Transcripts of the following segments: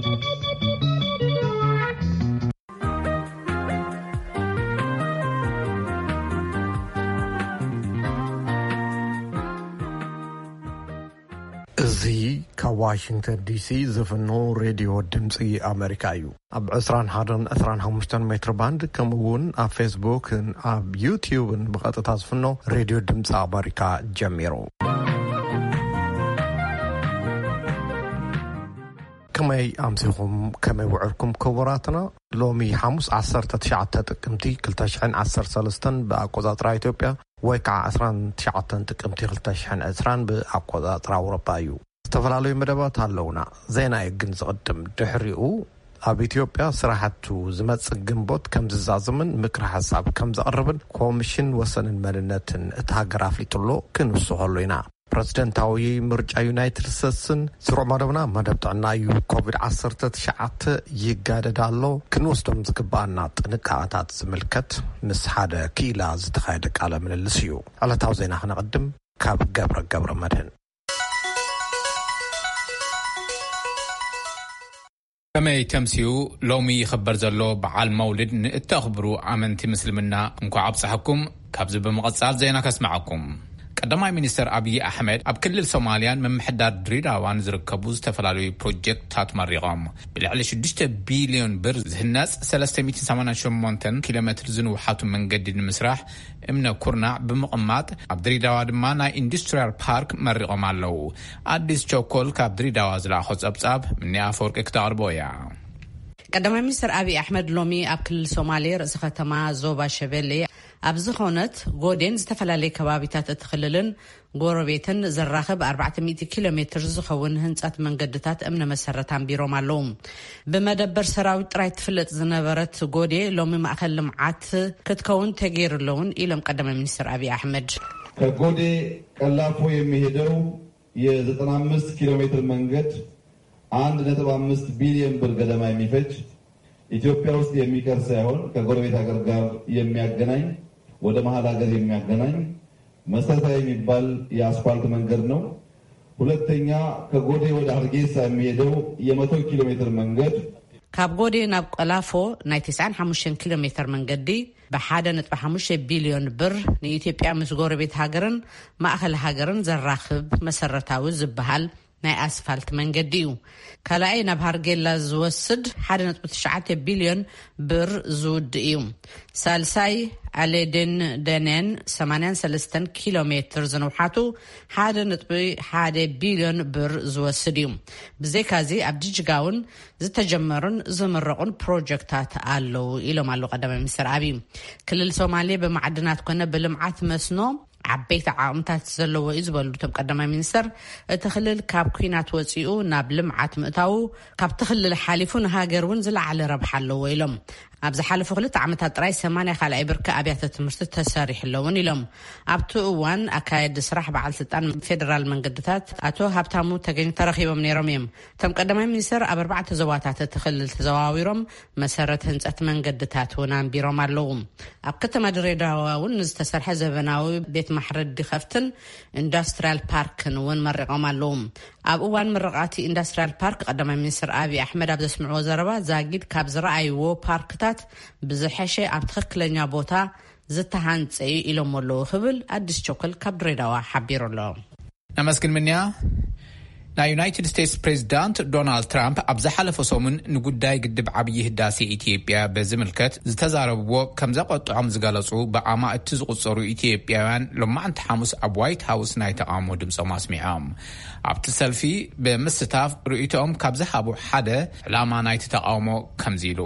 እዚ ካብ ዋሽንግተን ዲሲ ዝፍኖ ሬድዮ ድምፂ ኣሜሪካ እዩ። ኣብ ዕስራን ሓደን ዕስራን ሓሙሽተን ሜትር ባንድ፣ ከምኡ እውን ኣብ ፌስቡክን ኣብ ዩትዩብን ብቐጥታ ዝፍኖ ሬድዮ ድምፂ ኣሜሪካ ጀሚሩ። ከመይ ኣምሲኹም፣ ከመይ ውዕርኩም ክቡራትና? ሎሚ ሓሙስ ዓሰርተ ትሽዓተ ጥቅምቲ ክልተ ሽሕን ዓሰርተ ሰለስተን ብኣቆጻጽራ ኢትዮጵያ፣ ወይ ከዓ ዕስራን ትሽዓተን ጥቅምቲ ክልተ ሽሕን ዕስራን ብኣቆጻጽራ ኣውሮፓ እዩ። ዝተፈላለዩ መደባት ኣለውና። ዜና እዩ ግን ዝቕድም። ድሕሪኡ ኣብ ኢትዮጵያ ስራሕቱ ዝመጽእ ግንቦት ከም ዝዛዘምን ምክረ ሓሳብ ከም ዘቕርብን ኮሚሽን ወሰንን መንነትን እታ ሃገር ኣፍሊጡሎ ክንውስኸሉ ኢና። ፕረዚደንታዊ ምርጫ ዩናይትድ ስቴትስን ስሩዕ መደብና መደብ ጥዕና እዩ። ኮቪድ ዓሰርተ ትሽዓተ ይጋደድ ኣሎ። ክንወስዶም ዝግባኣና ጥንቃቐታት ዝምልከት ምስ ሓደ ክኢላ ዝተኻየደ ቃለ ምልልስ እዩ። ዕለታዊ ዜና ክነቕድም ካብ ገብረ ገብረ መድህን። ከመይ ተምስዩ? ሎሚ ይኽበር ዘሎ በዓል መውልድ ንእተኽብሩ ኣመንቲ ምስልምና እንኳዕ ኣብፀሐኩም። ካብዚ ብምቕፃል ዜና ከስምዓኩም። ቀዳማይ ሚኒስትር ኣብይ ኣሕመድ ኣብ ክልል ሶማልያን ምምሕዳር ድሬዳዋን ዝርከቡ ዝተፈላለዩ ፕሮጀክትታት መሪቖም። ብልዕሊ ሽዱሽተ ቢልዮን ብር ዝህነፅ ሰለስተ ሚእትን ሰማንያን ሸሞንተን ኪሎ ሜትር ዝንውሓቱ መንገዲ ንምስራሕ እምነ ኩርናዕ ብምቕማጥ፣ ኣብ ድሬዳዋ ድማ ናይ ኢንዱስትሪያል ፓርክ መሪቖም ኣለዉ። ኣዲስ ቸኮል ካብ ድሬዳዋ ዝለኣኾ ጸብጻብ፣ ምኒ ኣፈወርቂ ክተቕርቦ እያ። ቀዳማይ ሚኒስትር ኣብይ ኣሕመድ ሎሚ ኣብ ክልል ሶማሌ ርእሰ ከተማ ዞባ ሸበሌ ኣብ ዝኾነት ጎዴን ዝተፈላለዩ ከባቢታት እቲ ክልልን ጎረቤትን ዘራኽብ ኣርባዕተ ሚእቲ ኪሎ ሜትር ዝኸውን ህንጸት መንገድታት እምነ መሰረት ኣንቢሮም ኣለዉ። ብመደበር ሰራዊት ጥራይ ትፍለጥ ዝነበረት ጎዴ ሎሚ ማእከል ልምዓት ክትከውን ተገይሩ ኣለውን ኢሎም ቀዳማይ ሚኒስትር ኣብይ ኣሕመድ። ከጎዴ ቀላፎ የሚሄደው የ ዘጠና አምስት ኪሎ ሜትር መንገድ አንድ ነጥብ አምስት ቢሊዮን ብር ገደማ የሚፈጅ፣ ኢትዮጵያ ውስጥ የሚቀር ሳይሆን ከጎረቤት ሀገር ጋር የሚያገናኝ፣ ወደ መሀል ሀገር የሚያገናኝ መሰረታዊ የሚባል የአስፋልት መንገድ ነው። ሁለተኛ፣ ከጎዴ ወደ ሀርጌሳ የሚሄደው የመቶ ኪሎ ሜትር መንገድ ካብ ጎዴ ናብ ቀላፎ ናይ ተስዓን ሓሙሽተን ኪሎ ሜትር መንገዲ ብሓደ ነጥቢ ሓሙሽተ ቢልዮን ብር ንኢትዮጵያ ምስ ጎረቤት ሃገርን ማእኸል ሃገርን ዘራኽብ መሰረታዊ ዝበሃል ናይ ኣስፋልት መንገዲ እዩ። ካልኣይ ናብ ሃርጌላ ዝወስድ ሓደ ነጥቢ ትሽዓተ ቢልዮን ብር ዝውድ እዩ። ሳልሳይ ኣሌዴን ደኔን ሰማንያን ሰለስተን ኪሎ ሜትር ዝንውሓቱ ሓደ ነጥቢ ሓደ ቢልዮን ብር ዝወስድ እዩ። ብዘይካዚ ኣብ ጅጅጋ እውን ዝተጀመሩን ዝምረቑን ፕሮጀክታት ኣለዉ ኢሎም ኣለዉ ቀዳማይ ሚኒስትር ኣብይ። ክልል ሶማሌ ብማዕድናት ኮነ ብልምዓት መስኖ ዓበይቲ ዓቕምታት ዘለዎ እዩ ዝበሉ እቶም ቀዳማይ ሚኒስትር፣ እቲ ክልል ካብ ኲናት ወፂኡ ናብ ልምዓት ምእታዉ ካብቲ ክልል ሓሊፉ ንሃገር እውን ዝለዓለ ረብሓ ኣለዎ ኢሎም። ኣብ ዝሓለፉ ክልተ ዓመታት ጥራይ ሰማንያ ካልኣይ ብርኪ ኣብያተ ትምህርቲ ተሰሪሑ ኣለውን ኢሎም። ኣብቲ እዋን ኣካየዲ ስራሕ በዓል ስልጣን ፌደራል መንገድታት ኣቶ ሃብታሙ ተገኝ ተረኺቦም ነይሮም እዮም። እቶም ቀዳማይ ሚኒስትር ኣብ ኣርባዕተ ዞባታት እቲ ክልል ተዘዋዊሮም መሰረት ህንፀት መንገድታት እውን ኣንቢሮም ኣለዉ። ኣብ ከተማ ድሬዳዋ እውን ንዝተሰርሐ ዘበናዊ ቤት ማሕረዲ ከፍትን ኢንዱስትሪያል ፓርክን እውን መሪቖም ኣለዉ። ኣብ እዋን ምርቓቲ ኢንዱስትሪያል ፓርክ ቀዳማይ ሚኒስትር ኣብይ ኣሕመድ ኣብ ዘስምዕዎ ዘረባ፣ ዛጊድ ካብ ዝረኣይዎ ፓርክታት ብዝሐሸ ኣብ ትኽክለኛ ቦታ ዝተሃንጸ እዩ ኢሎም ኣለዉ ክብል ኣዲስ ቸኮል ካብ ድሬዳዋ ሓቢሩ ኣሎ። ነመስግን ምንያ። ናይ ዩናይትድ ስቴትስ ፕሬዚዳንት ዶናልድ ትራምፕ ኣብ ዝሓለፈ ሰሙን ንጉዳይ ግድብ ዓብዪ ህዳሴ ኢትዮጵያ በዝምልከት ዝተዛረብዎ ከም ዘቆጥዖም ዝገለጹ ብኣማእቲ ዝቑጸሩ ኢትዮጵያውያን፣ ሎማዕንቲ ሓሙስ ኣብ ዋይት ሃውስ ናይ ተቓውሞ ድምጾም ኣስሚዖም። ኣብቲ ሰልፊ ብምስታፍ ርእይቶኦም ካብ ዝሃቡ ሓደ፣ ዕላማ ናይቲ ተቓውሞ ከምዚ ኢሉ።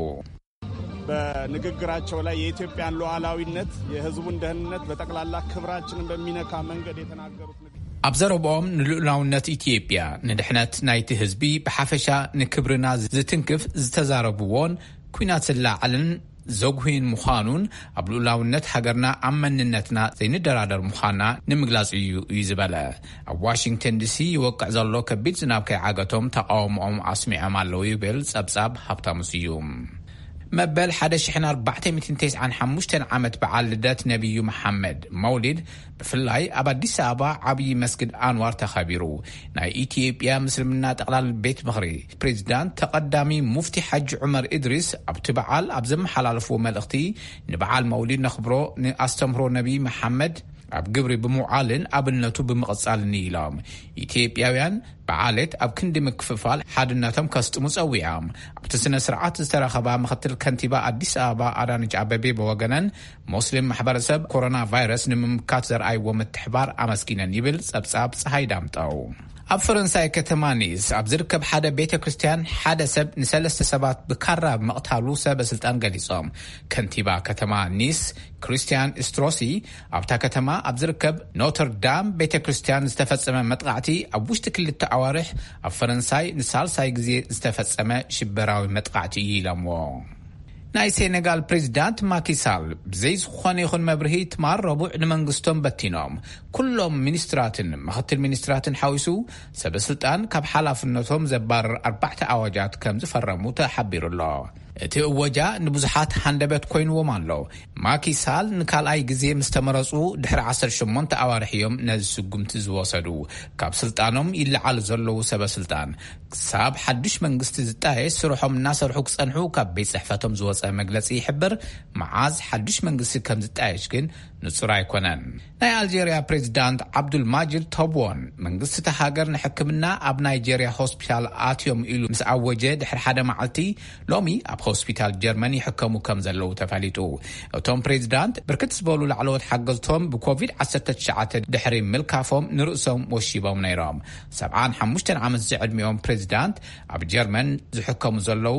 በንግግራቸው ላይ የኢትዮጵያን ሉዓላዊነት፣ የህዝቡን ደህንነት፣ በጠቅላላ ክብራችንን በሚነካ መንገድ የተናገሩት ንግግር። ኣብ ዘረብኦም፣ ንልኡላውነት ኢትዮጵያ፣ ንድሕነት ናይቲ ህዝቢ ብሓፈሻ፣ ንክብርና ዝትንክፍ ዝተዛረብዎን፣ ኲናት ዝለዓልን ዘጉህይን ምዃኑን፣ ኣብ ልኡላውነት ሃገርና ኣብ መንነትና ዘይንደራደር ምዃንና ንምግላጽ እዩ እዩ ዝበለ። ኣብ ዋሽንግተን ዲሲ ይወቅዕ ዘሎ ከቢድ ዝናብ ከይዓገቶም ተቓውሞኦም ኣስሚዖም ኣለዉ ይብል ጸብጻብ ሃብታሙ ስዩም። መበል ሓደ ሺሕን ኣርባዕተ ሚእትን ተስዓን ሓሙሽተን ዓመት በዓል ልደት ነቢዩ መሓመድ መውሊድ ብፍላይ ኣብ ኣዲስ ኣበባ ዓብዪ መስጊድ ኣንዋር ተኸቢሩ። ናይ ኢትዮጵያ ምስልምና ጠቕላል ቤት ምኽሪ ፕሬዚዳንት ተቐዳሚ ሙፍቲ ሓጂ ዑመር ኢድሪስ ኣብቲ በዓል ኣብ ዘመሓላለፍዎ መልእኽቲ፣ ንበዓል መውሊድ ነኽብሮ፣ ንኣስተምህሮ ነቢይ መሓመድ ኣብ ግብሪ ብምውዓልን ኣብነቱ ብምቕጻልን ኢሎም። ኢትዮጵያውያን ብዓሌት ኣብ ክንዲ ምክፍፋል ሓድነቶም ከስጥሙ ጸዊዖም። ኣብቲ ስነ ስርዓት ዝተረኸባ ምክትል ከንቲባ ኣዲስ ኣበባ ኣዳነች ኣበቤ ብወገነን፣ ሙስሊም ማሕበረሰብ ኮሮና ቫይረስ ንምምካት ዘርኣይዎ ምትሕባር ኣመስጊነን ይብል ጸብጻብ ፀሃይ ዳምጠው። ኣብ ፈረንሳይ ከተማ ኒስ ኣብ ዝርከብ ሓደ ቤተ ክርስቲያን ሓደ ሰብ ንሰለስተ ሰባት ብካራ ምቕታሉ ሰበ ስልጣን ገሊጾም። ከንቲባ ከተማ ኒስ ክሪስቲያን ስትሮሲ፣ ኣብታ ከተማ ኣብ ዝርከብ ኖተር ዳም ቤተ ክርስቲያን ዝተፈጸመ መጥቃዕቲ ኣብ ውሽጢ ክልተ ኣዋርሕ ኣብ ፈረንሳይ ንሳልሳይ ግዜ ዝተፈጸመ ሽበራዊ መጥቃዕቲ እዩ ኢሎምዎ። ናይ ሴኔጋል ፕሬዚዳንት ማኪሳል ብዘይ ዝኾነ ይኹን መብርሂ ትማል ረቡዕ ንመንግስቶም በቲኖም። ኩሎም ሚኒስትራትን ምክትል ሚኒስትራትን ሓዊሱ ሰበ ስልጣን ካብ ሓላፍነቶም ዘባርር ኣርባዕተ ኣዋጃት ከም ዝፈረሙ ተሓቢሩ ኣሎ። እቲ እወጃ ንብዙሓት ሃንደበት ኮይንዎም ኣሎ። ማኪሳል ንካልኣይ ግዜ ምስ ተመረጹ ድሕሪ ዓሰርተ ሸሞንተ ኣዋርሕ እዮም ነዚ ስጉምቲ ዝወሰዱ። ካብ ስልጣኖም ይለዓሉ ዘለዉ ሰበ ስልጣን ክሳብ ሓዱሽ መንግስቲ ዝጣየሽ ስርሖም እናሰርሑ ክጸንሑ ካብ ቤት ጽሕፈቶም ዝወጸ መግለጺ ይሕብር። መዓዝ ሓዱሽ መንግስቲ ከም ዝጣየሽ ግን ንጹር ኣይኮነን። ናይ ኣልጀርያ ፕሬዚዳንት ዓብዱል ማጅድ ተቦን መንግስቲ እታ ሃገር ንሕክምና ኣብ ናይጀርያ ሆስፒታል ኣትዮም ኢሉ ምስ ኣወጀ ድሕሪ ሓደ መዓልቲ፣ ሎሚ ኣብ ሆስፒታል ጀርመን ይሕከሙ ከም ዘለዉ ተፈሊጡ። እቶም ፕሬዚዳንት ብርክት ዝበሉ ላዕለዎት ሓገዝቶም ብኮቪድ ዓሰርተ ትሽዓተ ድሕሪ ምልካፎም ንርእሶም ወሺቦም ነይሮም። ሰብዓን ሓሙሽተን ዓመት ዝዕድሚኦም ፕሬዚዳንት ኣብ ጀርመን ዝሕከሙ ዘለዉ፣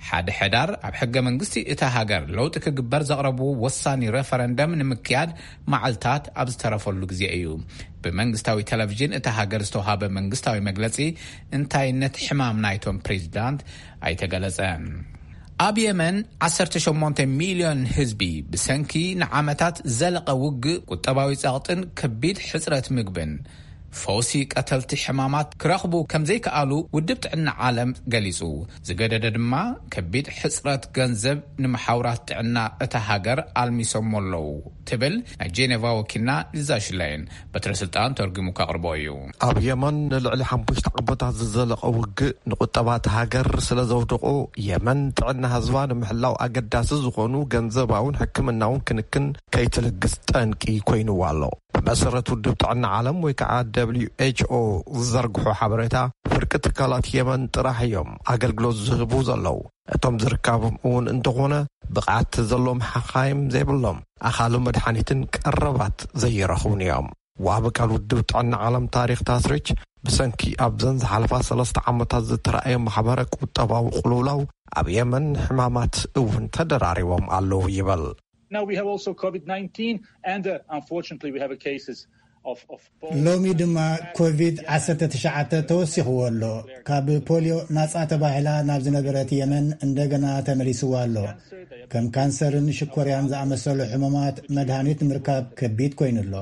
ሓደ ሕዳር ኣብ ሕገ መንግስቲ እታ ሃገር ለውጢ ክግበር ዘቕረብዎ ወሳኒ ሬፈረንደም ንምክያድ መዓልታት ኣብ ዝተረፈሉ ግዜ እዩ። ብመንግስታዊ ቴሌቪዥን እታ ሃገር ዝተውሃበ መንግስታዊ መግለጺ እንታይነት ሕማም ናይቶም ፕሬዚዳንት ኣይተገለጸን። ኣብ የመን ዓሰርተ ሸሞንተ ሚልዮን ህዝቢ ብሰንኪ ንዓመታት ዝዘለቐ ውግእ፣ ቁጠባዊ ጸቕጥን ከቢድ ሕጽረት ምግብን ፈውሲ ቀተልቲ ሕማማት ክረኽቡ ከም ዘይከኣሉ ውድብ ጥዕና ዓለም ገሊጹ። ዝገደደ ድማ ከቢድ ሕጽረት ገንዘብ ንመሓውራት ጥዕና እታ ሃገር ኣልሚሶሞ ኣለዉ ትብል ናይ ጄኔቫ ወኪልና ሊዛ ሽላይን በትረ ስልጣን ተርጉሙ ከቕርቦ እዩ። ኣብ የመን ንልዕሊ ሓሙሽተ ዓመታት ዝዘለቐ ውግእ ንቁጠባ እታ ሃገር ስለ ዘውደቖ፣ የመን ጥዕና ህዝባ ንምሕላው ኣገዳሲ ዝኾኑ ገንዘባውን ሕክምናውን ክንክን ከይትልግስ ጠንቂ ኮይንዋ ኣሎ። ብመሰረት ውድብ ጥዕና ዓለም ወይ ከዓ ደብሊው ኤች ኦ ዝዘርግሖ ሓበሬታ፣ ፍርቂ ትካላት የመን ጥራሕ እዮም ኣገልግሎት ዝህቡ ዘለዉ። እቶም ዝርካቦም እውን እንተኾነ ብቕዓት ዘለዎም ሓኻይም ዘይብሎም፣ ኣኻሊ መድሓኒትን ቀረባት ዘይረኽቡን እዮም። ዋቢ ቃል ውድብ ጥዕና ዓለም ታሪክ ታስሪች፣ ብሰንኪ ኣብዘን ዝሓለፋ ሰለስተ ዓመታት ዝተረኣየ ማሕበረ ቁጠባዊ ቅልውላው ኣብ የመን ሕማማት እውን ተደራሪቦም ኣለዉ ይበል። Now we have also COVID nineteen, and uh, unfortunately we have a cases of, of polio. ሎሚ ድማ ኮቪድ ዓሰርተ ትሽዓተ ተወሲኽዎ ኣሎ። ካብ ፖሊዮ ናጻ ተባሂላ ናብ ዝነበረት የመን እንደገና ተመሊስዋ ኣሎ። ከም ካንሰርን ሽኮርያን ዝኣመሰሉ ሕሙማት መድሃኒት ንምርካብ ከቢድ ኮይኑ ኣሎ።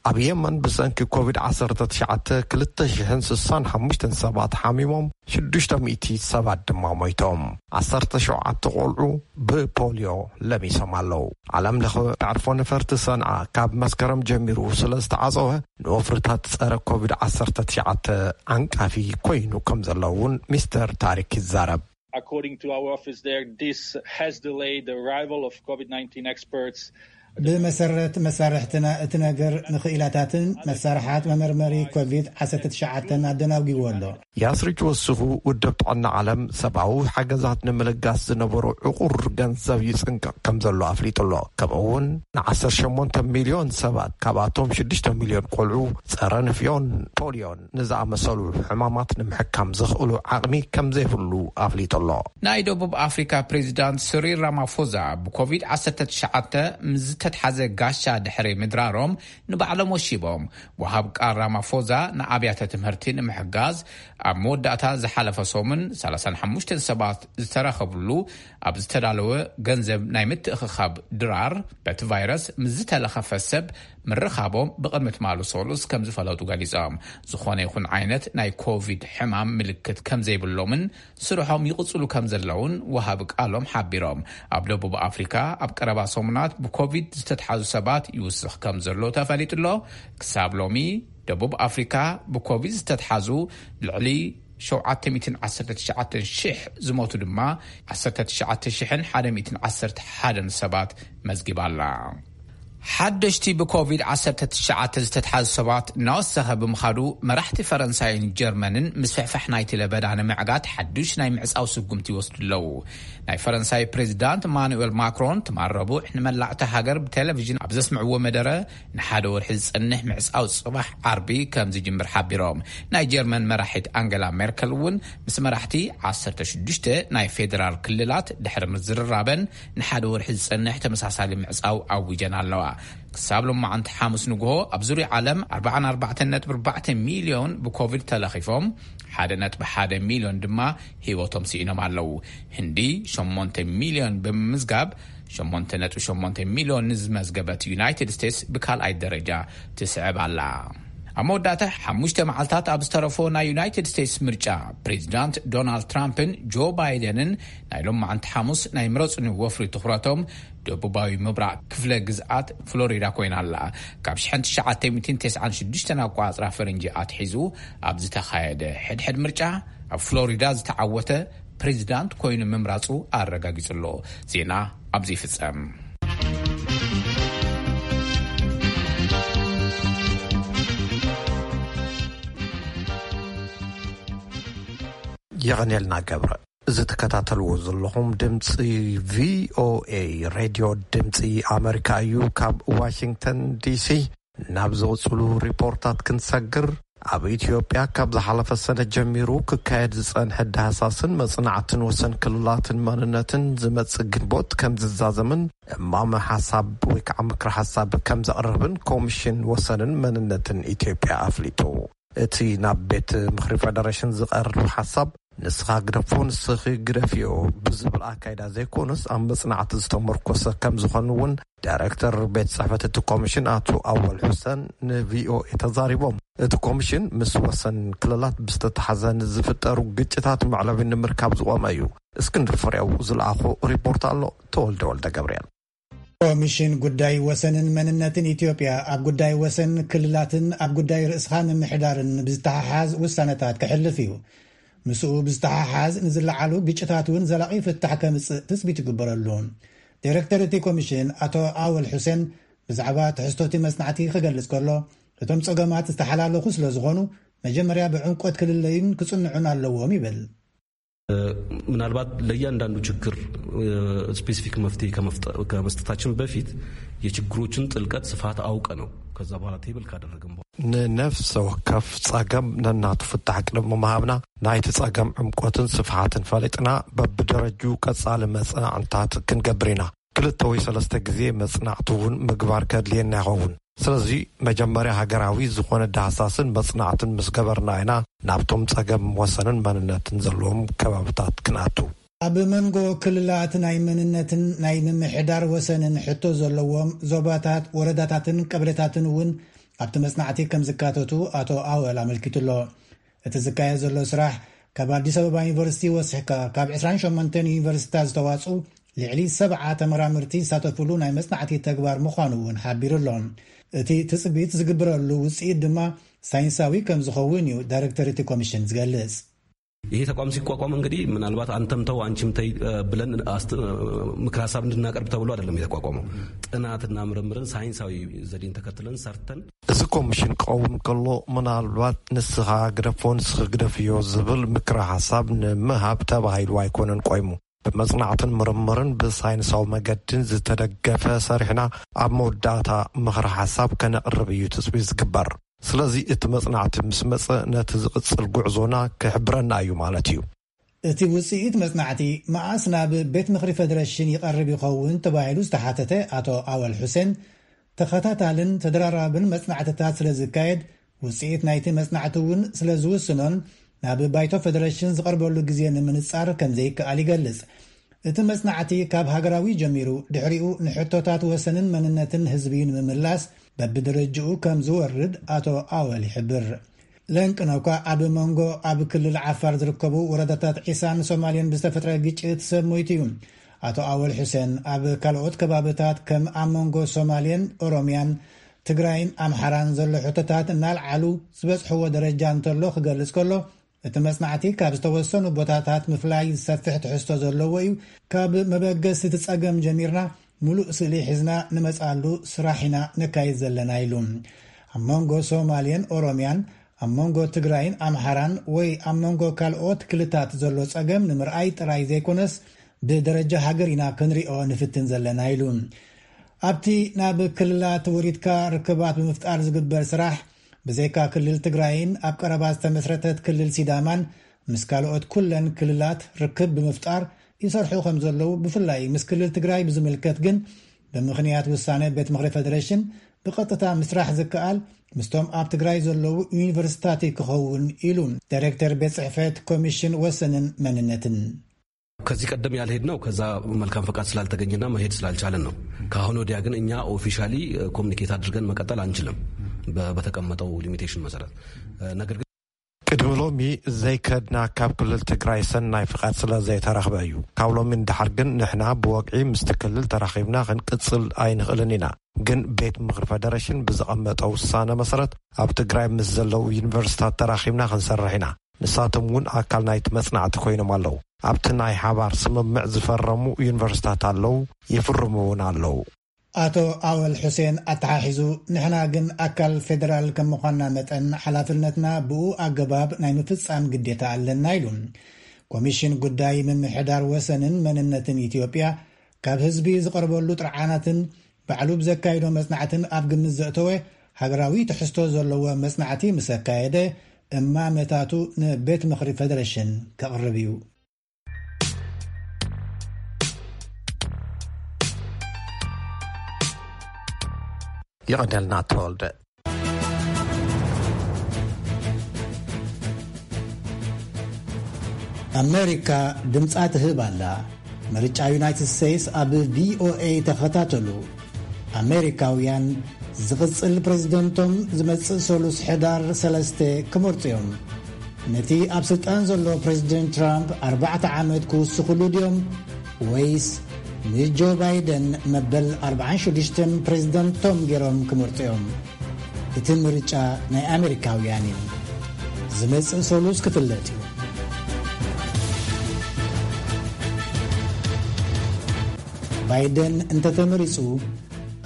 ኣብ የመን ብሰንኪ ኮቪድ ዓሰርተ ትሽዓተ ክልተ ሽሕን ስሳን ሓሙሽተን ሰባት ሓሚሞም፣ ሽዱሽተ ሚእቲ ሰባት ድማ ሞይቶም። ዓሰርተ ሸውዓተ ቆልዑ ብፖሊዮ ለሚሶም ኣለዉ። ዓለም ለኸ መዕርፎ ነፈርቲ ሰንዓ ካብ መስከረም ጀሚሩ ስለ ዝተዓጸወ፣ ንወፍርታት ጸረ ኮቪድ ዓሰርተ ትሽዓተ ዓንቃፊ ኮይኑ ከም ዘሎ እውን ሚስተር ታሪክ ይዛረብ። According to our office there, this has delayed the arrival of COVID nineteen experts. ብመሰረት መሳርሕትና እቲ ነገር ንኽኢላታትን መሳርሓት መመርመሪ ኮቪድ ዓሰርተ ትሽዓተን ኣደናጒዎ ኣሎ። ያስሪች ወሲኹ፣ ውድብ ጥዕና ዓለም ሰብኣዊ ሓገዛት ንምልጋስ ዝነበሮ ዕቑር ገንዘብ ይጽንቀቕ ከም ዘሎ ኣፍሊጡ ኣሎ። ከምኡ እውን ን ዓሰርተ ሸሞንተ ሚልዮን ሰባት፣ ካብኣቶም ሽዱሽተ ሚልዮን ቆልዑ፣ ጸረ ንፍዮን ፖሊዮን ንዝኣመሰሉ ሕማማት ንምሕካም ዘኽእሉ ዓቕሚ ከም ዘይብሉ ኣፍሊጡ ኣሎ። ናይ ደቡብ ኣፍሪካ ፕሬዚዳንት ስሪል ራማፎዛ ብኮቪድ ዓሰርተ ትሽዓተ ምስ ዝተሓዘ ጋሻ ድሕሪ ምድራሮም ንባዕሎም ወሺቦም። ወሃብ ቃል ራማፎዛ ንኣብያተ ትምህርቲ ንምሕጋዝ ኣብ መወዳእታ ዝሓለፈ ሰሙን ሰላሳን ሓሙሽተን ሰባት ዝተረኸብሉ ኣብ ዝተዳለወ ገንዘብ ናይ ምትእኽኻብ ድራር፣ በቲ ቫይረስ ምስ ዝተለኸፈ ሰብ ምርኻቦም ብቕድሚ ትማሊ ሰሉስ ከም ዝፈለጡ ገሊጾም። ዝኾነ ይኹን ዓይነት ናይ ኮቪድ ሕማም ምልክት ከም ዘይብሎምን ስርሖም ይቕጽሉ ከም ዘለውን ወሃቢ ቃሎም ሓቢሮም። ኣብ ደቡብ ኣፍሪካ ኣብ ቀረባ ሰሙናት ብኮቪድ ዝተትሓዙ ሰባት ይውስኽ ከም ዘሎ ተፈሊጡ ኣሎ። ክሳብ ሎሚ ደቡብ ኣፍሪካ ብኮቪድ ዝተትሓዙ ልዕሊ ሸውዓተ ሚእትን ዓሰርተ ትሽዓተን ሽሕ፣ ዝሞቱ ድማ ዓሰርተ ትሽዓተ ሽሕን ሓደ ሚእትን ዓሰርተ ሓደን ሰባት መዝጊባ ኣላ። ሓደሽቲ ብኮቪድ ዓሰርተ ትሽዓተ ዝተትሓዙ ሰባት እናወሰኸ ብምኻዱ፣ መራሕቲ ፈረንሳይን ጀርመንን ምስፍሕፋሕ ናይቲ ለበዳ ንምዕጋት ሓዱሽ ናይ ምዕጻው ስጉምቲ ይወስዱ ኣለዉ። ናይ ፈረንሳይ ፕሬዚዳንት ማኑኤል ማክሮን ትማል ረቡዕ ንመላእቲ ሃገር ብቴሌቪዥን ኣብ ዘስምዕዎ መደረ፣ ንሓደ ወርሒ ዝጸንሕ ምዕጻው ጽባሕ ዓርቢ ከም ዝጅምር ሓቢሮም። ናይ ጀርመን መራሒት ኣንገላ ሜርከል እውን ምስ መራሕቲ ዓሰርተ ሽዱሽተ ናይ ፌደራል ክልላት ድሕሪ ምዝርራበን ንሓደ ወርሒ ዝጸንሕ ተመሳሳሊ ምዕጻው ኣዊጀን ኣለዋ። ክሳብ ሎማዓንቲ ሓሙስ ንግሆ ኣብ ዙርያ ዓለም ኣርባዓን ኣርባዕተን ነጥቢ ኣርባዕተ ሚልዮን ብኮቪድ ተለኺፎም፣ ሓደ ነጥቢ ሓደ ሚልዮን ድማ ህይወቶም ስኢኖም ኣለዉ። ህንዲ ሸሞንተ ሚልዮን ብምምዝጋብ፣ ሸሞንተ ነጥቢ ሸሞንተ ሚልዮን ንዝመዝገበት ዩናይትድ ስቴትስ ብካልኣይ ደረጃ ትስዕብ ኣላ። ኣብ መወዳእታ ሓሙሽተ መዓልታት ኣብ ዝተረፎ ናይ ዩናይትድ ስቴትስ ምርጫ፣ ፕሬዚዳንት ዶናልድ ትራምፕን ጆ ባይደንን ናይ ሎማዓንቲ ሓሙስ ናይ ምረጹኒ ወፍሪ ትኹረቶም ደቡባዊ ምብራቕ ክፍለ ግዝኣት ፍሎሪዳ ኮይና ኣላ። ካብ ሽሕን ትሽዓተ ሚእትን ተስዓን ሽዱሽተን ኣቋጽራ ፈረንጂ ኣትሒዙ ኣብ ዝተኻየደ ሕድሕድ ምርጫ፣ ኣብ ፍሎሪዳ ዝተዓወተ ፕሬዚዳንት ኮይኑ ምምራጹ ኣረጋጊጹ ኣሎ። ዜና ኣብዚ ይፍጸም። የቐንየልና ገብረ። እዚ ትከታተልዎ ዘለኹም ድምፂ ቪኦኤ ሬድዮ ድምፂ ኣመሪካ እዩ። ካብ ዋሽንግተን ዲሲ ናብ ዝቕፅሉ ሪፖርታት ክንሰግር፣ ኣብ ኢትዮጵያ ካብ ዝሓለፈ ሰነ ጀሚሩ ክካየድ ዝፀንሐ ዳህሳስን መፅናዕትን ወሰን ክልላትን መንነትን ዝመፅእ ግንቦት ከም ዝዛዘምን እማመ ሓሳብ ወይ ከዓ ምክሪ ሓሳብ ከም ዘቕርብን ኮሚሽን ወሰንን መንነትን ኢትዮጵያ ኣፍሊጡ። እቲ ናብ ቤት ምኽሪ ፌደሬሽን ዝቐርብ ሓሳብ ንስኻ ግደፎ ንስኺ ግደፍዮ ብዝብል ኣካይዳ ዘይኮነስ ኣብ መጽናዕቲ ዝተመርኮሰ ከም ዝኾኑ እውን ዳይሬክተር ቤት ጽሕፈት እቲ ኮሚሽን ኣቶ ኣወል ሑሰን ንቪኦኤ ተዛሪቦም። እቲ ኮሚሽን ምስ ወሰን ክልላት ብዝተተሓዘ ንዝፍጠሩ ግጭታት መዕለቢ ንምርካብ ዝቖመ እዩ። እስክንድር ፍሬው ዝለኣኾ ሪፖርት ኣሎ። ተወልደ ወልደ ገብርኤል። ኮሚሽን ጉዳይ ወሰንን መንነትን ኢትዮጵያ ኣብ ጉዳይ ወሰን ክልላትን ኣብ ጉዳይ ርእስኻ ምምሕዳርን ብዝተሓሓዝ ውሳነታት ከሕልፍ እዩ። ምስኡ ብዝተሓሓዝ ንዝለዓሉ ግጭታት እውን ዘላቒ ፍታሕ ከምጽእ ትጽቢት ይግበረሉ። ዲሬክተር እቲ ኮሚሽን ኣቶ ኣወል ሑሴን ብዛዕባ ትሕዝቶ እቲ መጽናዕቲ ክገልጽ ከሎ፣ እቶም ጸገማት ዝተሓላለኹ ስለ ዝኾኑ መጀመርያ ብዕምቆት ክልለዩን ክጽንዑን ኣለዎም ይብል። ምናልባት ለእያንዳንዱ ችግር ስፔሲፊክ መፍትሄ ከመስጠታችን በፊት የችግሮችን ጥልቀት ስፋት አውቀ ነው ከዛ በኋላ ቴብል ካደረግን በኋላ ንነፍሰ ወከፍ ጸገም ነናቱ ፍታሕ ቅድሚ ምሃብና ናይቲ ጸገም ዕምቆትን ስፍሓትን ፈሊጥና በብደረጁ ቀጻሊ መጽናዕንታት ክንገብር ኢና። ክልተ ወይ ሰለስተ ግዜ መጽናዕቲ እውን ምግባር ከድልየና ይኸውን። ስለዚ መጀመርያ ሃገራዊ ዝኾነ ዳህሳስን መጽናዕትን ምስ ገበርና ኢና ናብቶም ጸገም ወሰንን መንነትን ዘለዎም ከባብታት ክንኣቱ። ኣብ መንጎ ክልላት ናይ መንነትን ናይ ምምሕዳር ወሰንን ሕቶ ዘለዎም ዞባታት፣ ወረዳታትን ቀበሌታትን እውን ኣብቲ መጽናዕቲ ከም ዝካተቱ ኣቶ ኣወል ኣመልኪቱ ኣሎ። እቲ ዝካየድ ዘሎ ስራሕ ካብ ኣዲስ ኣበባ ዩኒቨርሲቲ ወሲሕካ ካብ ዕስራን ሸሞንተን ዩኒቨርሲቲታት ዝተዋፅኡ ልዕሊ ሰብዓ ተመራመርቲ ዝሳተፍሉ ናይ መጽናዕቲ ተግባር ምዃኑ እውን ሓቢሩ ኣሎ። እቲ ትጽቢት ዝግበረሉ ውጽኢት ድማ ሳይንሳዊ ከም ዝኸውን እዩ ዳይሬክተር እቲ ኮሚሽን ዝገልጽ። ይሄ ተቋም ሲቋቋም እንግዲህ ምናልባት አንተም ተው አንቺም ተይ ብለን ምክር ሀሳብ እንድናቀርብ ተብሎ አይደለም የተቋቋመው። ጥናትና ምርምርን ሳይንሳዊ ዘዴን ተከትለን ሰርተን እዚ ኮሚሽን ክኸውን ከሎ ምናልባት ንስኻ ግደፎ ንስኺ ግደፍዮ ዝብል ምክረ ሓሳብ ንምሃብ ተባሂሉ ኣይኮነን ቆይሙ። ብመጽናዕትን ምርምርን ብሳይንሳዊ መገድን ዝተደገፈ ሰሪሕና ኣብ መወዳእታ ምኽሪ ሓሳብ ከነቕርብ እዩ ትጽቢት ዝግበር። ስለዚ እቲ መጽናዕቲ ምስ መጸ ነቲ ዝቕጽል ጉዕዞና ክሕብረና እዩ ማለት እዩ። እቲ ውጽኢት መጽናዕቲ መኣስ ናብ ቤት ምኽሪ ፌደሬሽን ይቐርብ ይኸውን ተባሂሉ ዝተሓተተ ኣቶ ኣወል ሑሴን፣ ተኸታታልን ተደራራብን መጽናዕትታት ስለ ዝካየድ፣ ውጽኢት ናይቲ መጽናዕቲ እውን ስለ ዝውስኖን ናብ ባይቶ ፌደሬሽን ዝቐርበሉ ግዜ ንምንጻር ከም ዘይከኣል ይገልጽ። እቲ መጽናዕቲ ካብ ሃገራዊ ጀሚሩ፣ ድሕሪኡ ንሕቶታት ወሰንን መንነትን ህዝቢ ንምምላስ በብደረጅኡ ከም ዝወርድ ኣቶ ኣወል ይሕብር። ለንቅነኳ ኣብ መንጎ ኣብ ክልል ዓፋር ዝርከቡ ወረዳታት ዒሳን ሶማልያን ብዝተፈጥረ ግጭት ሰብ ሞይቱ እዩ። ኣቶ ኣወል ሑሴን ኣብ ካልኦት ከባብታት ከም ኣብ መንጎ ሶማልያን ኦሮምያን ትግራይን ኣምሓራን ዘሎ ሕቶታት እናልዓሉ ዝበጽሕዎ ደረጃ እንተሎ ክገልጽ ከሎ፣ እቲ መጽናዕቲ ካብ ዝተወሰኑ ቦታታት ምፍላይ ዝሰፍሕ ትሕዝቶ ዘለዎ እዩ። ካብ መበገሲ እቲ ጸገም ጀሚርና ሙሉእ ስእሊ ሒዝና ንመጽኣሉ ስራሕ ኢና ነካይድ ዘለና ኢሉ። ኣብ መንጎ ሶማልያን ኦሮምያን፣ ኣብ መንጎ ትግራይን ኣምሓራን ወይ ኣብ መንጎ ካልኦት ክልታት ዘሎ ጸገም ንምርኣይ ጥራይ ዘይኮነስ ብደረጃ ሃገር ኢና ክንሪኦ ንፍትን ዘለና ኢሉ። ኣብቲ ናብ ክልላት ወሪድካ ርክባት ብምፍጣር ዝግበር ስራሕ ብዘይካ ክልል ትግራይን ኣብ ቀረባ ዝተመስረተት ክልል ሲዳማን ምስ ካልኦት ኩለን ክልላት ርክብ ብምፍጣር ይሰርሑ ከም ዘለዉ፣ ብፍላይ ምስ ክልል ትግራይ ብዝምልከት ግን ብምኽንያት ውሳነ ቤት ምኽሪ ፌደሬሽን ብቐጥታ ምስራሕ ዝከኣል ምስቶም ኣብ ትግራይ ዘለዉ ዩኒቨርሲታት ክኸውን ኢሉ ዳይሬክተር ቤት ጽሕፈት ኮሚሽን ወሰንን መንነትን። ከዚህ ቀደም ያልሄድነው ከዛ መልካም ፈቃድ ስላልተገኘና መሄድ ስላልቻለን ነው። ከአሁን ወዲያ ግን እኛ ኦፊሻሊ ኮሚኒኬት አድርገን መቀጠል አንችልም በተቀመጠው ሊሚቴሽን መሰረት። ነገር ግን ቅድሚ ሎሚ ዘይከድና ካብ ክልል ትግራይ ሰናይ ፍቓድ ስለ ዘይተረኽበ እዩ። ካብ ሎሚ ንድሓር ግን ንሕና ብወግዒ ምስቲ ክልል ተራኺብና ክንቅጽል ኣይንኽእልን ኢና። ግን ቤት ምኽሪ ፈደረሽን ብዘቐመጠ ውሳነ መሰረት ኣብ ትግራይ ምስ ዘለዉ ዩኒቨርሲታት ተራኺብና ክንሰርሕ ኢና። ንሳቶም እውን ኣካል ናይቲ መጽናዕቲ ኮይኖም ኣለዉ። ኣብቲ ናይ ሓባር ስምምዕ ዝፈረሙ ዩኒቨርሲታት ኣለዉ፣ ይፍርሙ እውን ኣለዉ። ኣቶ ኣወል ሑሴን ኣተሓሒዙ፣ ንሕና ግን ኣካል ፌደራል ከም ምዃንና መጠን ሓላፍነትና ብኡ ኣገባብ ናይ ምፍጻም ግዴታ ኣለና ኢሉ። ኮሚሽን ጉዳይ ምምሕዳር ወሰንን መንነትን ኢትዮጵያ ካብ ህዝቢ ዝቐርበሉ ጥርዓናትን ባዕሉ ብዘካይዶ መጽናዕትን ኣብ ግምት ዘእተወ ሃገራዊ ትሕዝቶ ዘለዎ መጽናዕቲ ምስ ኣካየደ እማመታቱ ንቤት ምኽሪ ፈደረሽን ከቕርብ እዩ። ይቐደልና ተወልደ። ኣሜሪካ ድምጻ ትህብ ኣላ። ምርጫ ዩናይትድ ስቴትስ ኣብ ቪኦኤ ተኸታተሉ። ኣሜሪካውያን ዝቕጽል ፕሬዝደንቶም ዝመጽእ ሰሉስ ሕዳር ሰለስተ ክመርጹ እዮም። ነቲ ኣብ ስልጣን ዘሎ ፕሬዝደንት ትራምፕ ኣርባዕተ ዓመት ክውስኽሉ ድዮም ወይስ ንጆ ባይደን መበል ኣርባዓን ሽዱሽተን ፕሬዝደንቶም ገይሮም ክመርጹ እዮም? እቲ ምርጫ ናይ ኣሜሪካውያን እዩ። ዝመጽእ ሰሉስ ክፍለጥ እዩ። ባይደን እንተተመሪጹ፣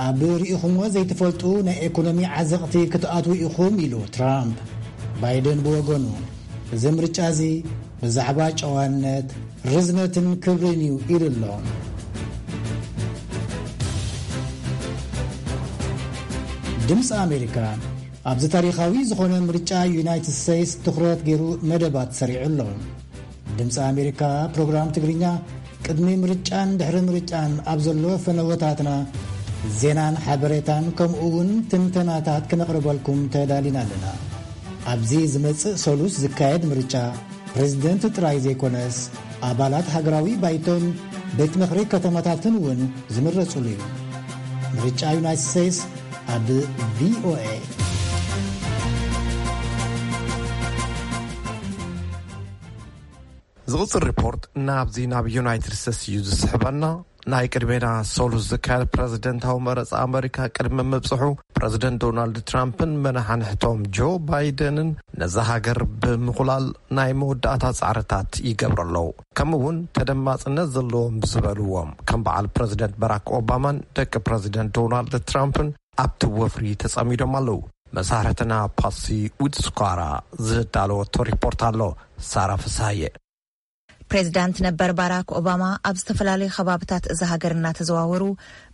ኣብ ርኢኹምዎ ዘይትፈልጡ ናይ ኤኮኖሚ ዓዘቕቲ ክትኣትዉ ኢኹም ኢሉ ትራምፕ። ባይደን ብወገኑ፣ እዚ ምርጫ እዚ ብዛዕባ ጨዋነት፣ ርዝነትን ክብርን እዩ ኢሉ ኣሎ። ድምፂ ኣሜሪካ ኣብዚ ታሪኻዊ ዝኾነ ምርጫ ዩናይትድ ስቴትስ ትኹረት ገይሩ መደባት ሰሪዑ ኣሎ። ድምፂ ኣሜሪካ ፕሮግራም ትግርኛ ቅድሚ ምርጫን ድሕሪ ምርጫን ኣብ ዘሎ ፈነወታትና ዜናን ሓበሬታን ከምኡ እውን ትንተናታት ክነቕርበልኩም ተዳሊና ኣለና። ኣብዚ ዝመጽእ ሰሉስ ዝካየድ ምርጫ ፕሬዝደንት ጥራይ ዘይኮነስ ኣባላት ሃገራዊ ባይቶን ቤት ምኽሪ ከተማታትን እውን ዝምረጹሉ እዩ። ምርጫ ዩናይትድ ስቴትስ ኣብ ቪኦኤ። ዝቕጽል ሪፖርት ናብዚ ናብ ዩናይትድ ስቴትስ እዩ ዝስሕበና። ናይ ቅድሜና ሰሉስ ዝካየድ ፕረዚደንታዊ መረጻ ኣመሪካ ቅድሚ ምብጽሑ፣ ፕረዚደንት ዶናልድ ትራምፕን መናሓንሕቶም ጆ ባይደንን ነዛ ሃገር ብምኹላል ናይ መወዳእታ ጻዕርታት ይገብሩ ኣለዉ። ከምኡ እውን ተደማጽነት ዘለዎም ብዝበልዎም ከም በዓል ፕረዚደንት ባራክ ኦባማን ደቂ ፕረዚደንት ዶናልድ ትራምፕን ኣብቲ ወፍሪ ተጸሚዶም ኣለዉ። መሳርሕትና ፓሲ ዊትስኳራ ዝዳለወቶ ሪፖርት ኣሎ። ሳራ ፍስሃየ። ፕሬዚዳንት ነበር ባራክ ኦባማ ኣብ ዝተፈላለዩ ከባብታት እዛ ሃገር እናተዘዋወሩ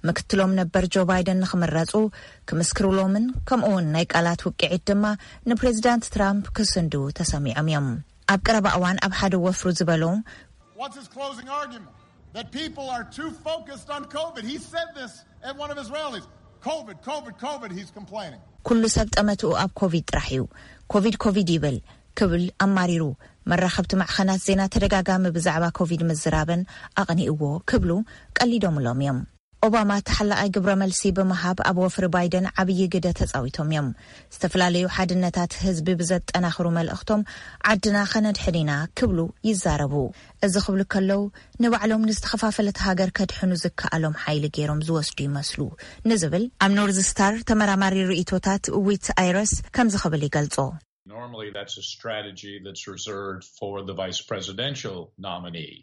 ምክትሎም ነበር ጆ ባይደን ንክምረፁ ክምስክሩሎምን ከምኡ እውን ናይ ቃላት ውቅዒት ድማ ንፕሬዚዳንት ትራምፕ ክስንዱ ተሰሚዖም እዮም። ኣብ ቀረባ እዋን ኣብ ሓደ ወፍሩ ዝበሎ What's his closing argument? That people are too focused on COVID. He said this at one of his rallies. COVID, COVID, COVID, he's complaining. ኩሉ ሰብ ጠመትኡ ኣብ ኮቪድ ጥራሕ እዩ። ኮቪድ ኮቪድ ይብል ክብል ኣማሪሩ። መራኸብቲ ማዕኸናት ዜና ተደጋጋሚ ብዛዕባ ኮቪድ ምዝራበን ኣቕኒእዎ ክብሉ ቀሊዶምሎም እዮም። ኦባማ ተሓላቓይ ግብረ መልሲ ብምሃብ ኣብ ወፍሪ ባይደን ዓብዪ ግደ ተጻዊቶም እዮም። ዝተፈላለዩ ሓድነታት ህዝቢ ብዘጠናኽሩ መልእኽቶም ዓድና ከነድሕን ኢና ክብሉ ይዛረቡ። እዚ ክብሉ ከለዉ ንባዕሎም ንዝተኸፋፈለት ሃገር ከድሕኑ ዝከኣሎም ሓይሊ ገይሮም ዝወስዱ ይመስሉ ንዝብል ኣብ ኖርዝ ስታር ተመራማሪ ርእይቶታት ዊት ኣይረስ ከምዚ ክብል ይገልጾ። Normally, that's a strategy that's reserved for the vice presidential nominee.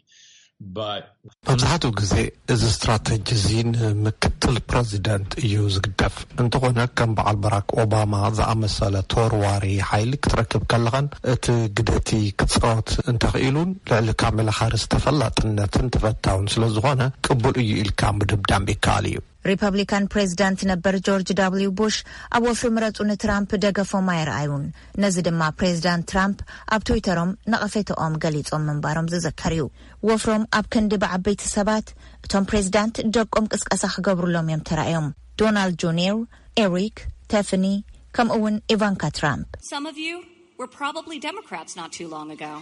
But መብዛሕትኡ ግዜ እዚ ስትራተጂ እዚ ንምክትል ፕረዚደንት እዩ ዝግደፍ። እንተኾነ ከም በዓል ባራክ ኦባማ ዝኣመሰለ ተወርዋሪ ሓይሊ ክትረክብ ከለኻን እቲ ግደቲ ክጻወት እንተኽኢሉን ልዕሊ ካሜላ ሃሪስ ተፈላጥነትን ተፈታውን ስለ ዝኾነ ቅቡል እዩ ኢልካ ምድምዳም ይከኣል እዩ። ሪፐብሊካን ፕሬዚዳንት ነበር ጆርጅ ዳብሊው ቡሽ ኣብ ወፍሪ ምረጹ ንትራምፕ ደገፎም ኣይረኣዩን። ነዚ ድማ ፕሬዚዳንት ትራምፕ ኣብ ትዊተሮም ነቐፌተኦም ገሊጾም ምንባሮም ዝዝከር እዩ። ወፍሮም ኣብ ክንዲ ብዓበይቲ ሰባት እቶም ፕሬዚዳንት ደቆም ቅስቀሳ ክገብሩሎም እዮም ተራእዮም። ዶናልድ ጁኒየር፣ ኤሪክ፣ ቴፍኒ ከምኡ እውን ኢቫንካ ትራምፕ። Some of you were probably Democrats not too long ago,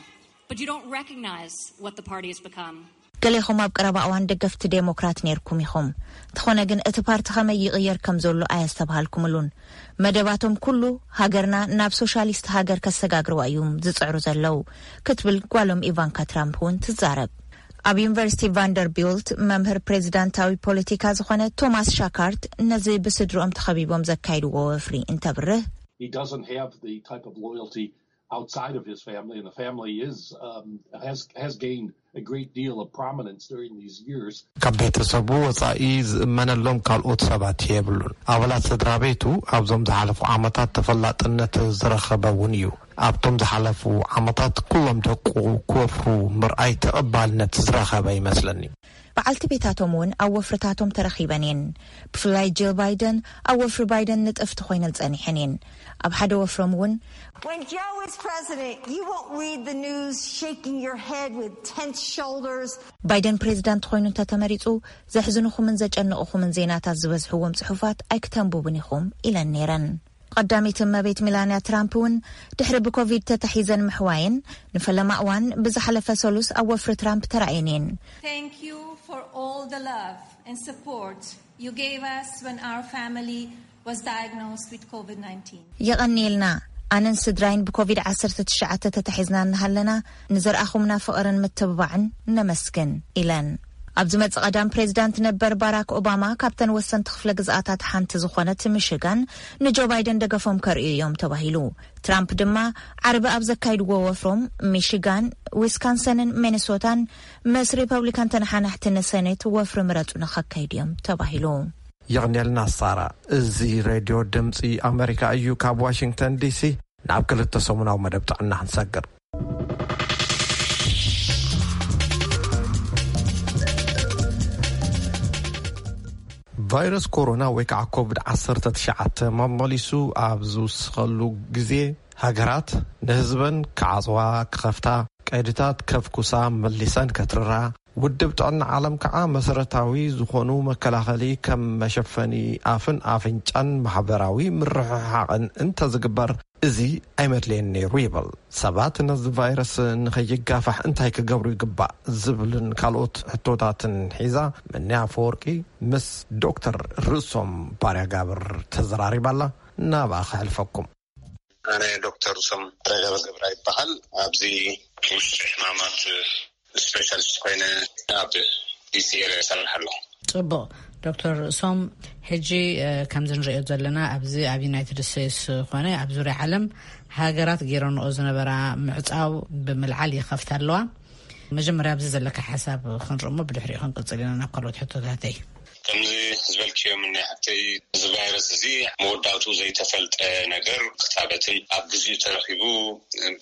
but you don't recognize what the party has become. ገሌኹም ኣብ ቀረባ እዋን ደገፍቲ ዴሞክራት ነይርኩም ኢኹም። እንተኾነ ግን እቲ ፓርቲ ከመይ ይቕየር ከም ዘሎ ኣየስተብሃልኩምሉን። መደባቶም ኩሉ ሃገርና ናብ ሶሻሊስት ሃገር ከሰጋግርዋ እዮም ዝጽዕሩ ዘለዉ ክትብል ጓሎም ኢቫንካ ትራምፕ እውን ትዛረብ። ኣብ ዩኒቨርሲቲ ቫንደርቢልት መምህር ፕሬዚዳንታዊ ፖለቲካ ዝኾነ ቶማስ ሻካርት ነዚ ብስድርኦም ተኸቢቦም ዘካይድዎ ወፍሪ እንተብርህ He doesn't have the type of loyalty outside of his family, and the family is um, has has gained a great deal of prominence during these years. ካብ ቤተሰቡ ወጻኢ ዝእመነሎም ካልኦት ሰባት የብሉን። ኣባላት ስድራ ቤቱ ኣብዞም ዝሓለፉ ዓመታት ተፈላጥነት ዝረኸበ እውን እዩ። ኣብቶም ዝሓለፉ ዓመታት ኩሎም ደቁ ክወፍሩ ምርኣይ ተቐባልነት ዝረኸበ ይመስለኒ። በዓልቲ ቤታቶም እውን ኣብ ወፍርታቶም ተረኺበን እየን። ብፍላይ ጂል ባይደን ኣብ ወፍሪ ባይደን ንጥፍቲ ኮይነን ጸኒሐን እየን። ኣብ ሓደ ወፍሮም እውን When Joe is president, you won't read the news shaking your head with tense shoulders. ባይደን ፕሬዚዳንት ኮይኑ እንተተመሪጹ ዘሕዝንኹምን ዘጨንቕኹምን ዜናታት ዝበዝሕዎም ጽሑፋት ኣይክተንብቡን ኢኹም ኢለን ነይረን። ቀዳመይቲ እመቤት ሚላንያ ትራምፕ እውን ድሕሪ ብኮቪድ ተታሒዘን ምሕዋየን ንፈለማ እዋን ብዝሓለፈ ሰሉስ ኣብ ወፍሪ ትራምፕ ተራእየን እየን። Thank you for all the love and support you gave us when our family was diagnosed with COVID nineteen. የቐንየልና። ኣነን ስድራይን ብኮቪድ ዓሰርተ ትሽዓተ ተታሒዝና እናሃለና ንዘርኣኹምና ፍቕርን ምትብባዕን ነመስግን ኢለን። ኣብ ዝመጽእ ቀዳም ፕሬዚዳንት ነበር ባራክ ኦባማ ካብተን ወሰንቲ ክፍለ ግዝኣታት ሓንቲ ዝኾነት ሚሽጋን ንጆ ባይደን ደገፎም ከርእዩ እዮም ተባሂሉ። ትራምፕ ድማ ዓርቢ ኣብ ዘካይድዎ ወፍሮም ሚሽጋን፣ ዊስካንሰንን ሚኒሶታን ምስ ሪፐብሊካን ተነሓናሕቲ ንሰኔት ወፍሪ ምረጹ ንኸካይዱ እዮም ተባሂሉ። የቕንየልና ሳራ። እዚ ሬድዮ ድምፂ ኣሜሪካ እዩ። ካብ ዋሽንግተን ዲሲ ናብ ክልተ ሰሙናዊ መደብ ጥዕና ክንሰግር። ቫይረስ ኮሮና ወይ ከዓ ኮቪድ ዓሰርተ ትሽዓተ መመሊሱ ኣብ ዝውስኸሉ ግዜ ሃገራት ንህዝበን ክዓፅዋ፣ ክኸፍታ፣ ቀይድታት ከፍኩሳ፣ መሊሰን ከትርራ፣ ውድብ ጥዕና ዓለም ከዓ መሰረታዊ ዝኾኑ መከላኸሊ ከም መሸፈኒ ኣፍን ኣፍንጫን ማሕበራዊ ምርሕሓቕን እንተዝግበር እዚ ኣይመድለየን ነይሩ ይብል። ሰባት ነዚ ቫይረስ ንኸይጋፋሕ እንታይ ክገብሩ ይግባእ ዝብልን ካልኦት ሕቶታትን ሒዛ ምንያ ኣፈወርቂ ምስ ዶክተር ርእሶም ባርያ ጋብር ተዘራሪባ ኣላ። ናብኣ ከሕልፈኩም። ኣነ ዶክተር ርእሶም ባርያ ጋብር ገብራ ይበሃል። ኣብዚ ውሽጢ ሕማማት ስፔሻሊስት ኮይነ ኣብ ዲሲ ኤሪያ ይሰርሕ ኣለኹ። ጽቡቕ። ዶክተር ርእሶም፣ ሕጂ ከምዚ ንሪኦ ዘለና ኣብዚ ኣብ ዩናይትድ ስቴትስ ኮነ ኣብ ዙርያ ዓለም ሃገራት ገይረንኦ ዝነበራ ምዕጻው ብምልዓል ይኸፍታ ኣለዋ። መጀመርያ ኣብዚ ዘለካ ሓሳብ ክንርእ እሞ ብድሕሪኡ ክንቅጽል ኢና ናብ ካልኦት ሕቶታተይ። ከምዚ ዝበልክዮ ምነ ሓፍተይ፣ እዚ ቫይረስ እዚ መወዳእትኡ ዘይተፈልጠ ነገር ክታበትን ኣብ ግዚኡ ተረኺቡ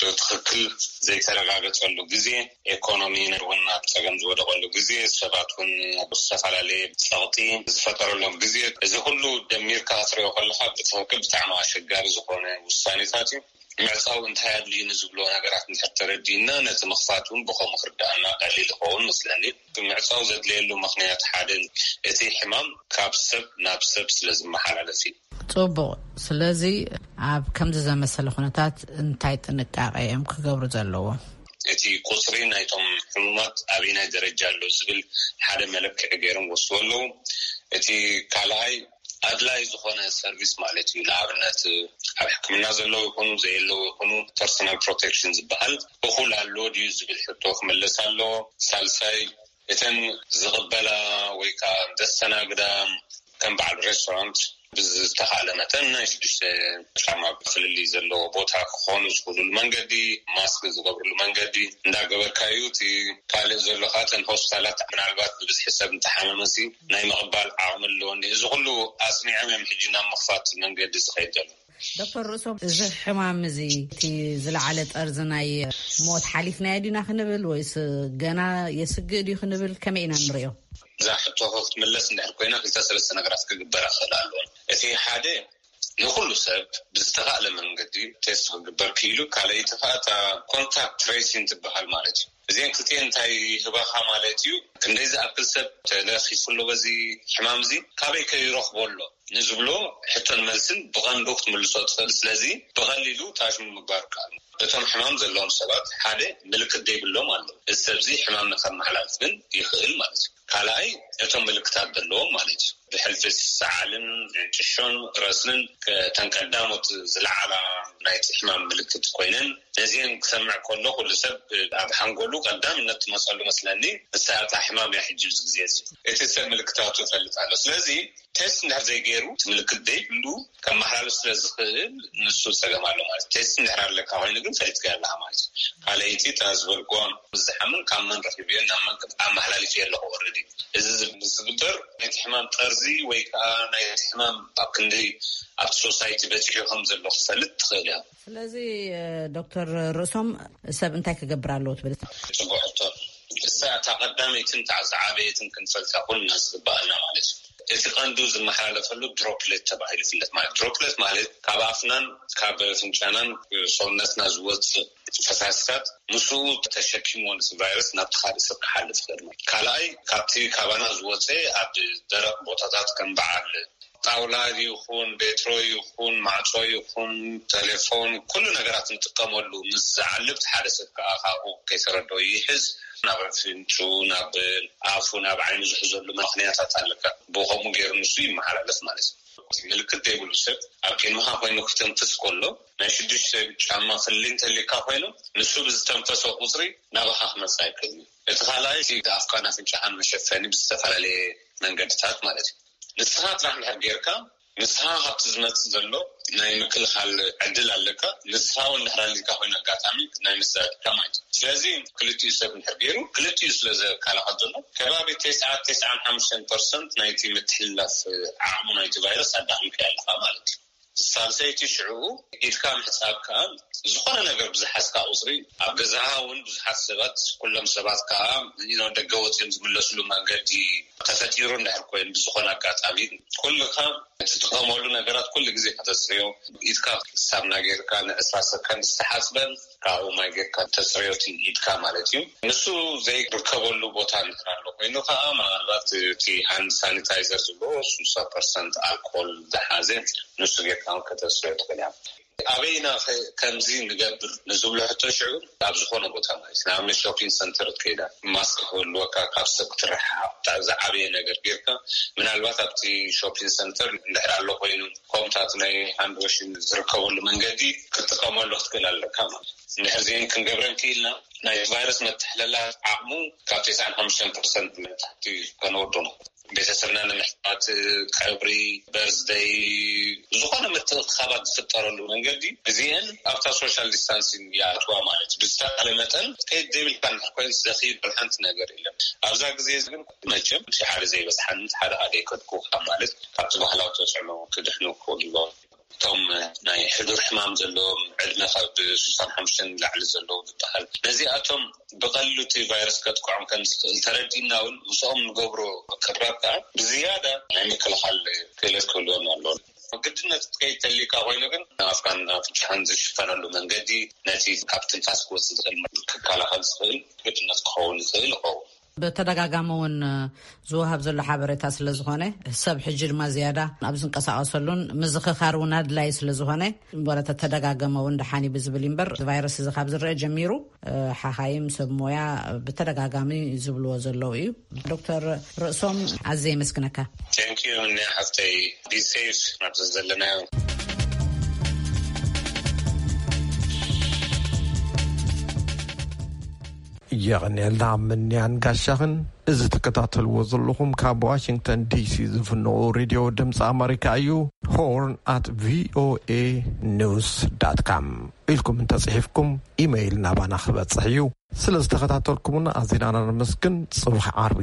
ብትኽክል ዘይተረጋገጸሉ ግዜ፣ ኤኮኖሚ እውን ኣብ ጸገም ዝወደቐሉ ግዜ፣ ሰባት እውን ኣብ ዝተፈላለየ ጸቕጢ ዝፈጠረሎም ግዜ፣ እዚ ኩሉ ደሚርካ ክትሪኦ ከለኻ ብትኽክል ብጣዕሚ ኣሸጋሪ ዝኾነ ውሳኔታት እዩ። ምዕጻው እንታይ ኣድልዩ ንዝብሎ ነገራት እንድሕር ተረዲእና፣ ነቲ ምኽፋት እውን ብኸምኡ ክርዳእና ቀሊል ይኸውን መስለኒ። ምዕጻው ዘድልየሉ ምኽንያት ሓደ፣ እቲ ሕማም ካብ ሰብ ናብ ሰብ ስለ ዝመሓላለፍ እዩ። ጽቡቕ። ስለዚ ኣብ ከምዚ ዘመሰለ ኩነታት እንታይ ጥንቃቄ እዮም ክገብሩ ዘለዎም? እቲ ቁጽሪ ናይቶም ሕሙማት ኣበይናይ ደረጃ ኣሎ ዝብል ሓደ መለክዒ ገይሮም ወስድዎ ኣለዉ። እቲ ካልኣይ ኣድላይ ዝኾነ ሰርቪስ ማለት እዩ። ንኣብነት ኣብ ሕክምና ዘለዉ ይኹኑ ዘየለዉ ይኹኑ፣ ፐርሶናል ፕሮቴክሽን ዝበሃል እኹል ኣሎ ድዩ ዝብል ሕቶ ክምለስ ኣለዎ። ሳልሳይ፣ እተን ዝቕበላ ወይ ከዓ ዘስተናግዳ ከም በዓል ሬስቶራንት ብዝተኻእለ መጠን ናይ ሽዱሽተ ጫማ ፍልልይ ዘለዎ ቦታ ክኾኑ ዝኽእሉሉ መንገዲ፣ ማስክ ዝገብርሉ መንገዲ እንዳገበርካዩ። እቲ ካልእ ዘሎ ከዓ እተን ሆስፒታላት ምናልባት ብብዝሒ ሰብ እንተሓመመሲ ናይ ምቕባል ዓቕሚ ኣለወን። እዚ ኩሉ ኣጽኒዖም እዮም ሕጂ ናብ ምኽፋት መንገዲ ዝኸይድ ዘሎ። ዶክተር ርእሶም፣ እዚ ሕማም እዚ እቲ ዝለዓለ ጠርዚ ናይ ሞት ሓሊፍናዮ ዲና ክንብል ወይስ ገና የስግእ ድዩ ክንብል ከመይ ኢና ንሪኦ? እዛ ሕቶ ክትምለስ እንድሕር ኮይና ክልተ ሰለስተ ነገራት ክግበራ ክኽእል ኣለዎን። እቲ ሓደ ንኩሉ ሰብ ብዝተኻእለ መንገዲ ቴስት ክግበር ክኢሉ፣ ካልኣይቲ ከዓ እታ ኮንታክት ትሬሲንግ ትበሃል ማለት እዩ። እዚአን ክልቲአን እንታይ ይህባኻ ማለት እዩ? ክንደይ ዝኣክል ሰብ ተለኺፉ ኣሎ በዚ ሕማም እዚ፣ ካበይ ከ ይረኽቦ ኣሎ ንዝብሎ ሕቶን መልስን ብቐንዱ ክትምልሶ ትኽእል። ስለዚ ብቐሊሉ ታሽሙ ምግባር ይከኣል። እቶም ሕማም ዘለዎም ሰባት ሓደ ምልክት ዘይብሎም ኣለዉ። እዚ ሰብ እዚ ሕማም ንከመሓላልፍ ግን ይኽእል ማለት እዩ። ካልኣይ እቶም ምልክታት ዘለዎም ማለት እዩ። ብሕልፊ ሰዓልን ጭሾን ረስንን እተን ቀዳሞት ዝለዓላ ናይቲ ሕማም ምልክት ኮይነን፣ ነዚአን ክሰምዕ ከሎ ኩሉ ሰብ ኣብ ሓንጎሉ ቀዳምነት ትመፀሉ መስለኒ ንሳ እታ ሕማም እያ። ሕጂ ኣብዚ ግዜ እዚ እቲ ሰብ ምልክታቱ ይፈልጥ ኣሎ። ስለዚ ቴስት እንድሕር ዘይገይሩ እቲ ምልክት ዘይብሉ ከመሓላልፍ ስለ ዝኽእል ንሱ ፀገም ኣሎ ማለት እዩ። ቴስት እንድሕር ኣለካ ኮይኑ ግን ፈሊጥካ ኣለካ ማለት እዩ። ካልኣይቲ እታ ዝበልኩዋ ምስ ዝሓምን ካብ መን ረኺብዮ ናብ መን ኣመሓላሊፍ ኣለኹ ኦልሬዲ። እዚ ምስ ዝግበር ነቲ ሕማም ጠርዚ ወይ ከዓ ናይቲ ሕማም ኣብ ክንደይ ኣብቲ ሶሳይቲ በፂሑ ከም ዘሎ ክፈልጥ ትኽእል እያ። ስለዚ ዶክተር ርእሶም ሰብ እንታይ ክገብር ኣለዎ ትብል? ጽቡቅ ሕቶ። እሳ እታ ቀዳመይትን እታ ዝዓበየትን ክንፈልጣ ኩልና ዝግባኣና ማለት እዩ። እቲ ቀንዱ ዝመሓላለፈሉ ድሮፕሌት ተባሂሉ ይፍለጥ። ማለት ድሮፕሌት ማለት ካብ ኣፍናን ካብ ፍንጫናን ሰውነትና ዝወፅእ ፈሳስታት ምስኡ ተሸኪምዎ ነቲ ቫይረስ ናብቲ ካልእ ሰብ ክሓልፍ ይኽእል ማለት። ካልኣይ ካብቲ ካባና ዝወፀ ኣብ ደረቕ ቦታታት ከም በዓል ጣውላ ይኹን ቤትሮ ይኹን ማዕጾ ይኹን ቴሌፎን ኩሉ ነገራት ንጥቀመሉ ምስ ዝዓልብ ሓደ ሰብ ከዓ ካብኡ ከይተረድኦ ይሕዝ። ናብ ኣፍንጩ ናብ ኣፉ ናብ ዓይኑ ዝሕዘሉ ምኽንያታት ኣለካ። ብኸምኡ ገይሩ ንሱ ይመሓላለፍ ማለት እዩ። ምልክት ዘይብሉ ሰብ ኣብ ቅድሚኻ ኮይኑ ክተንፍስ ከሎ ናይ ሽዱሽተ ጫማ ፍልልይ እንተልካ ኮይኑ ንሱ ብዝተንፈሶ ቁፅሪ ናባኻ ክመፅእ ኣይክእልን እዩ። እቲ ካልኣይ እቲ ኣፍካን ኣፍንጫኻን መሸፈኒ ብዝተፈላለየ መንገድታት ማለት እዩ። ንስኻ ጥራሕ እንድሕር ጌርካ ንስኻ ካብቲ ዝመፅእ ዘሎ ናይ ምክልኻል ዕድል ኣለካ። ንስኻ እውን እንድሕር ኣሊልካ ኮይኑ ኣጋጣሚ ናይ ምስዳድካ ማለት እዩ። ስለዚ ክልቲኡ ሰብ እንድሕር ገይሩ ክልቲኡ ስለ ዘከላኸል ዘሎ ከባቢ ተስዓ ተስዓን ሓሙሽተን ፐርሰንት ናይቲ ምትሕልላፍ ዓቕሙ ናይቲ ቫይረስ ኣዳኺምካ ኣለኻ ማለት እዩ። ሳልሰይቲ ሽዑ ኢድካ ምሕጻብ ከኣ ዝኾነ ነገር ብዝሓዝካ ቁጽሪ ኣብ ገዛኻ እውን ብዙሓት ሰባት ኩሎም ሰባት ከኣ ደገ ወጺኦም ዝምለስሉ መንገዲ ተፈጢሩ እንድሕር ኮይኑ ብዝኾነ ኣጋጣሚ ኩልኻ እትጥቀመሉ ነገራት ኩሉ ግዜ ከተጽርዮ ኢድካ ሳምና ጌርካ ንዕስራ ሰከንድ ዝተሓጽበን ካብኡ ማይ ጌርካ ተጽርዮ እቲ ኢድካ ማለት እዩ። ንሱ ዘይርከበሉ ቦታ እንድሕር ኣሎ ኮይኑ ከኣ ምናልባት እቲ ሃንድ ሳኒታይዘር ዝብሎ ስሳ ፐርሰንት ኣልኮል ዝሓዘ ንሱ ጌርካ እውን ከተስርዮ ትኽእል እያ። ኣበይና ከምዚ ንገብር ንዝብሎ ሕቶ ሽዑ ኣብ ዝኾነ ቦታ ማለት እዩ። ንኣብነት ሾፒንግ ሰንተር ከይዳ ማስክ ክህልወካ ካብ ሰብ ክትረሓቕ ዝዓበየ ነገር ጌርካ ምናልባት ኣብቲ ሾፒንግ ሰንተር እንድሕር ኣሎ ኮይኑ ከምታት ናይ ሃንድ ዋሽን ዝርከበሉ መንገዲ ክትጥቀመሉ ክትክእል ኣለካ ማለት እዩ። እንድሕር ዚን ክንገብረን ክኢልና ናይ ቫይረስ መተሕለላ ዓቕሙ ካብ ተስዓን ሓሙሽተን ፐርሰንት ንታሕቲ ከነወርዶ ነው። ቤተሰብና ንምሕታት ቀብሪ በርዝደይ ዝኾነ ምትእኻባት ዝፍጠረሉ መንገዲ እዚአን ኣብታ ሶሻል ዲስታንሲንግ ይኣትዋ ማለት እዩ። ብዝተኻለ መጠን ከይድ ዘይብልካ እንድሕር ኮይኑ ዘኽይድ ሓንቲ ነገር የለን። ኣብዛ ግዜ ግን መቸም ሓደ ዘይበፅሓን ሓደ ሓደ ይከድኩ ካብ ማለት ካብቲ ባህላዊ ተፅዕኖ ክድሕኑ ክኽእሉ እቶም ናይ ሕዱር ሕማም ዘለዎም ዕድመ ካብ ስሳን ሓሙሽተን ንላዕሊ ዘለዉ ዝበሃል ነዚኣቶም ብቐሊሉ እቲ ቫይረስ ከጥቅዖም ከም ዝኽእል ተረዲእና እውን ምስኦም ንገብሮ ቅራብ ከዓ ብዝያዳ ናይ ምክልኻል ክእለት ክህልዎም ኣለዎም። ግድነት ከይተልካ ኮይኑ ግን ኣፍካን ኣፍንጫህን ዝሽፈነሉ መንገዲ ነቲ ካብ ትንፋስ ክወፅእ ዝኽእል ክከላኸል ዝኽእል ግድነት ክኸውን ይኽእል ይኸውን። ብተደጋጋሚ እውን ዝወሃብ ዘሎ ሓበሬታ ስለ ዝኾነ፣ ሰብ ሕጂ ድማ ዝያዳ ኣብ ዝንቀሳቐሰሉን ምዝኽኻር እውን ኣድላይ ስለ ዝኾነ፣ ወረ ተተደጋገመ እውን ደሓን እዩ ብዝብል እምበር፣ እዚ ቫይረስ እዚ ካብ ዝረአ ጀሚሩ ሓኻይም ሰብ ሞያ ብተደጋጋሚ ዝብልዎ ዘለዉ እዩ። ዶክተር ርእሶም፣ ኣዝየ የመስግነካ። Thank you፣ እነ ሓፍተይ፣ be safe ናብዚ ዘለናዮ። የቐንየልና ምንያን ጋሻኽን። እዚ ትከታተልዎ ዘለኹም ካብ ዋሽንግተን ዲሲ ዝፍንቑ ሬድዮ ድምፂ ኣመሪካ እዩ። ሆርን ኣት ቪኦኤ ኒውስ ዳት ካም ኢልኩም እንተፅሒፍኩም ኢመይል ናባና ክበፅሕ እዩ። ስለ ዝተኸታተልኩምና ኣዚና ነመስግን። ፅባሕ ዓርቢ